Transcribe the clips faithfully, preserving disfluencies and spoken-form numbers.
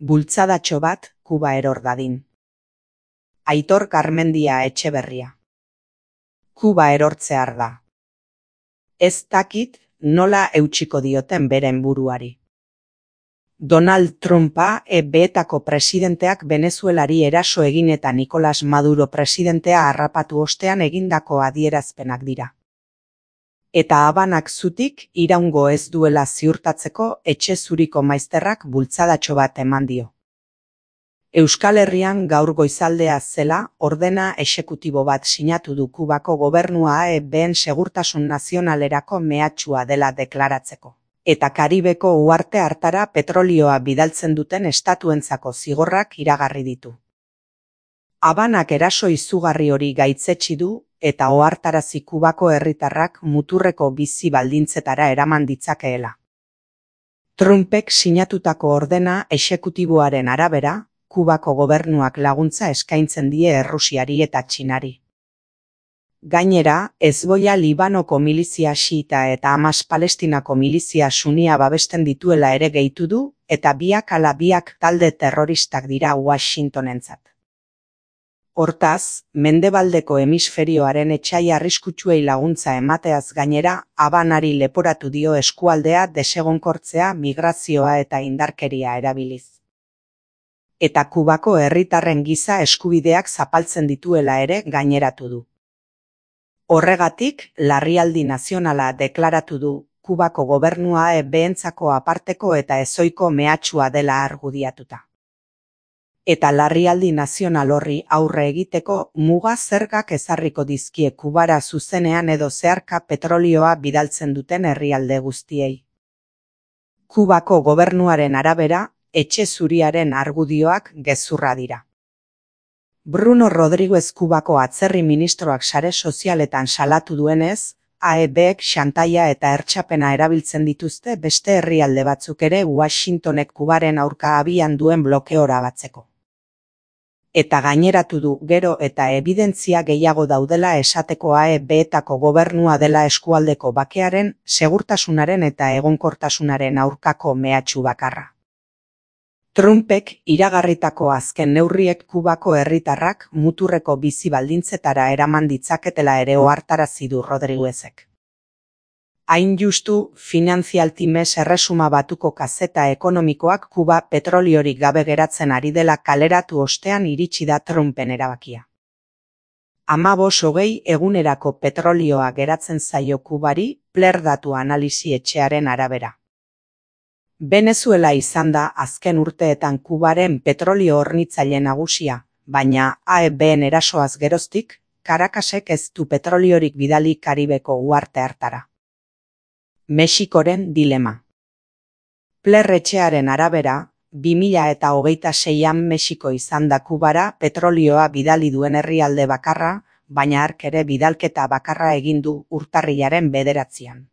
Bultzadatxo bat Kuba eror dadin. Aitor Garmendia Etxeberria. Kuba erortzear da. Ez dakit nola eutsiko dioten beren buruari. Donald Trumpa E B-etako presidenteak Venezuelari eraso egin eta Nicolas Maduro presidentea harrapatu ostean egindako adierazpenak dira. Eta Habanak zutik iraungo ez duela ziurtatzeko etxe zuriko maizterrak bultzadatxo bat eman dio. Euskal Herrian gaur goizaldea zela ordena exekutibo bat sinatu du Kubako gobernua E B-en segurtasun nazionalerako mehatxua dela deklaratzeko. Eta Karibeko uharte hartara petrolioa bidaltzen duten estatuentzako zigorrak iragarri ditu. Habanak eraso izugarri hori gaitzetsi du eta ohartarazi Kubako herritarrak muturreko bizi baldintzetara eraman ditzakeela. Trumpek sinatutako ordena exekutiboaren arabera, Kubako gobernuak laguntza eskaintzen die Errusiari eta Txinari. Gainera, Hezbollah Libanoko milizia xiita eta Hamas Palestinako milizia sunia babesten dituela ere gehitu du, eta biak ala biak talde terroristak dira Washingtonentzat. Hortaz, mendebaldeko hemisferioaren etsai arriskutsuei laguntza emateaz gainera, Habanari leporatu dio eskualdea desegonkortzea migrazioa eta indarkeria erabiliz. Eta Kubako herritarren giza eskubideak zapaltzen dituela ere gaineratu du. Horregatik, larrialdi nazionala deklaratu du, Kubako gobernua E B-entzako aparteko eta ezoiko mehatxua dela argudiatuta. Eta larrialdi nazional horri aurre egiteko muga zergak ezarriko dizkie Kubara zuzenean edo zeharka petrolioa bidaltzen duten herrialde guztiei. Kubako gobernuaren arabera, etxe zuriaren argudioak gezurra dira. Bruno Rodriguez Kubako atzerri ministroak sare sozialetan salatu duenez, A E B-ek xantaia eta hertsapena erabiltzen dituzte beste herrialde batzuk ere Washingtonek Kubaren aurka abian duen blokeora batzeko. Eta gaineratu du gero eta ebidentzia gehiago daudela esateko A E B-etako gobernua dela eskualdeko bakearen, segurtasunaren eta egonkortasunaren aurkako mehatxu bakarra. Trumpek iragarritako azken neurriek Kubako herritarrak muturreko bizi baldintzetara eraman ditzaketela ere ohartarazi du Rodriguezek. Hain justu, Financial Times erresuma batuko kazeta ekonomikoak Kuba petroliorik gabe geratzen ari dela kaleratu ostean iritsi da Trumpen erabakia. Hamabost hogei egunerako petrolioa geratzen zaio Kubari, Pler datu analisi etxearen arabera. Venezuela izan da azken urteetan Kubaren petrolio hornitzaile nagusia, baina A E B-en erasoaz geroztik, Caracasek ez du petroliorik bidali Karibeko uharte hartara. Mexikoren dilema. Pler etxearen arabera, bi mila eta hogeita seian Mexiko izan da Kubara petrolioa bidali duen herrialde bakarra, baina hark ere bidalketa bakarra egin du urtarrilaren bederatzian.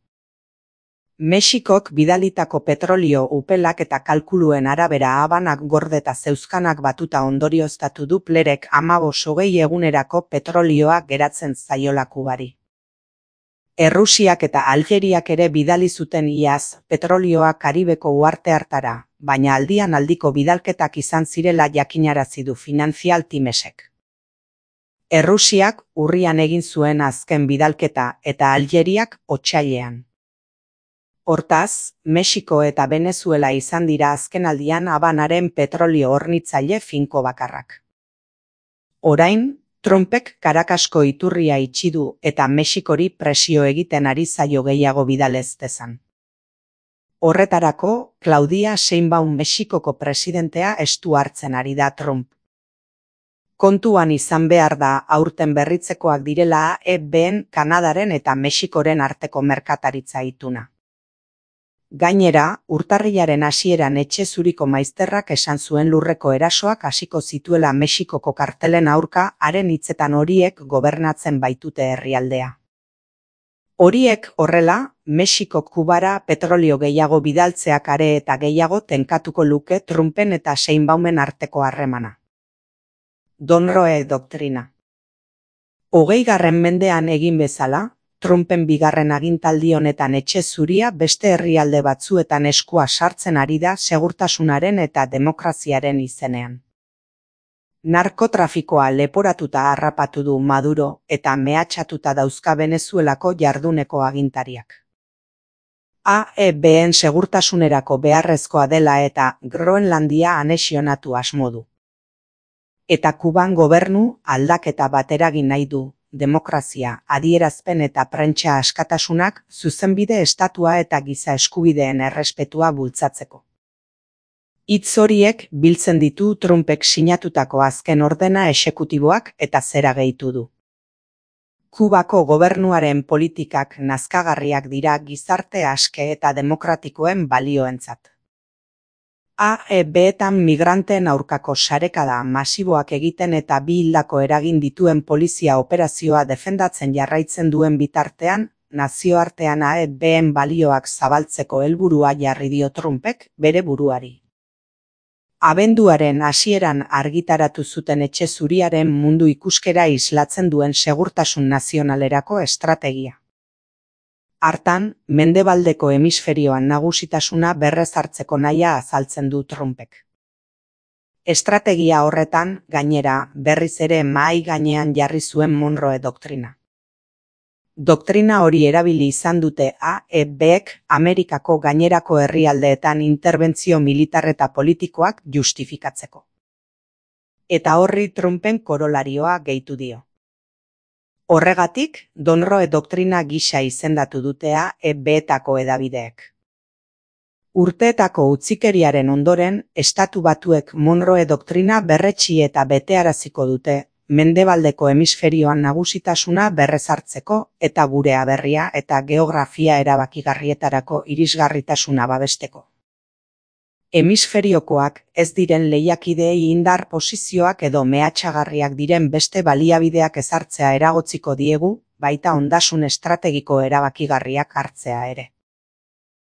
Mexikok bidalitako petrolio upelak eta kalkuluen arabera Habanak gordeta zeuzkanak batuta ondorioztatu du Plerek hamabost hogei egunerako petrolioa geratzen zaiola Kubari. Errusiak eta Aljeriak ere bidali zuten iaz petrolioa Karibeko uharte hartara, baina aldian aldiko bidalketak izan zirela jakinarazi du Financial Timesek. Errusiak urrian egin zuen azken bidalketa eta Aljeriak otsailean. Hortaz, Mexiko eta Venezuela izan dira azkenaldian Habanaren petrolio hornitzaile finko bakarrak. Orain, Trumpek Caracasko iturria itxi du eta Mexikori presio egiten ari zaio gehiago bidalez dezan. Horretarako, Claudia Sheinbaum Mexikoko presidentea estu hartzen ari da Trump. Kontuan izan behar da aurten berritzekoak direla E B-en Kanadaren eta Mexikoren arteko merkataritza ituna. Gainera, urtarrilaren hasieran etxe zuriko maizterrak esan zuen lurreko erasoak hasiko zituela Mexikoko kartelen aurka haren hitzetan horiek gobernatzen baitute herrialdea. Horiek horrela, Mexikok Kubara petrolio gehiago bidaltzeak are eta gehiago tenkatuko luke Trumpen eta Sheinbaumen arteko harremana. Monroe doktrina. Hogeigarren mendean egin bezala, Trumpen bigarren agintaldi honetan etxe zuria beste herrialde batzuetan eskua sartzen ari da segurtasunaren eta demokraziaren izenean. Narkotrafikoa leporatuta harrapatu du Maduro eta mehatxatuta dauzka Venezuelako jarduneko agintariak. A E B-en segurtasunerako beharrezkoa dela eta Groenlandia anexionatu asmo du. Eta Kuban gobernu aldaketa bat eragin nahi du, demokrazia, adierazpen eta prentsa askatasunak, zuzenbide estatua eta giza eskubideen errespetua bultzatzeko. Hitz horiek biltzen ditu Trumpek sinatutako azken ordena exekutiboak eta zera gehitu du. Kubako gobernuaren politikak nazkagarriak dira gizarte aske eta demokratikoen balioentzat. A E B-etan migranteen aurkako sarekada masiboak egiten eta bi hildako eragin dituen polizia operazioa defendatzen jarraitzen duen bitartean, nazioartean A E B-en balioak zabaltzeko helburua jarri dio Trumpek bere buruari. Abenduaren hasieran argitaratu zuten etxe zuriaren mundu ikuskera islatzen duen segurtasun nazionalerako estrategia. Hartan, mendebaldeko hemisferioan nagusitasuna berrezartzeko nahia azaltzen du Trumpek. Estrategia horretan, gainera, berriz ere mahai gainean jarri zuen Monroe doktrina. Doktrina hori erabili izan dute A E B-ek Amerikako gainerako herrialdeetan interbentzio militar eta politikoak justifikatzeko. Eta horri Trumpen korolarioa gehitu dio. Horregatik, Monroe doktrina gisa izendatu dute A E B-etako hedabideek. Urteetako utzikeriaren ondoren, Estatu Batuek Monroe doktrina berretsi eta betearaziko dute, mendebaldeko hemisferioan nagusitasuna berrezartzeko eta gure aberria eta geografia erabakigarrietarako irisgarritasuna babesteko. Hemisferiokoak ez diren lehiakideei indar posizioak edo mehatxagarriak diren beste baliabideak ezartzea eragotziko diegu, baita ondasun estrategiko erabakigarriak hartzea ere.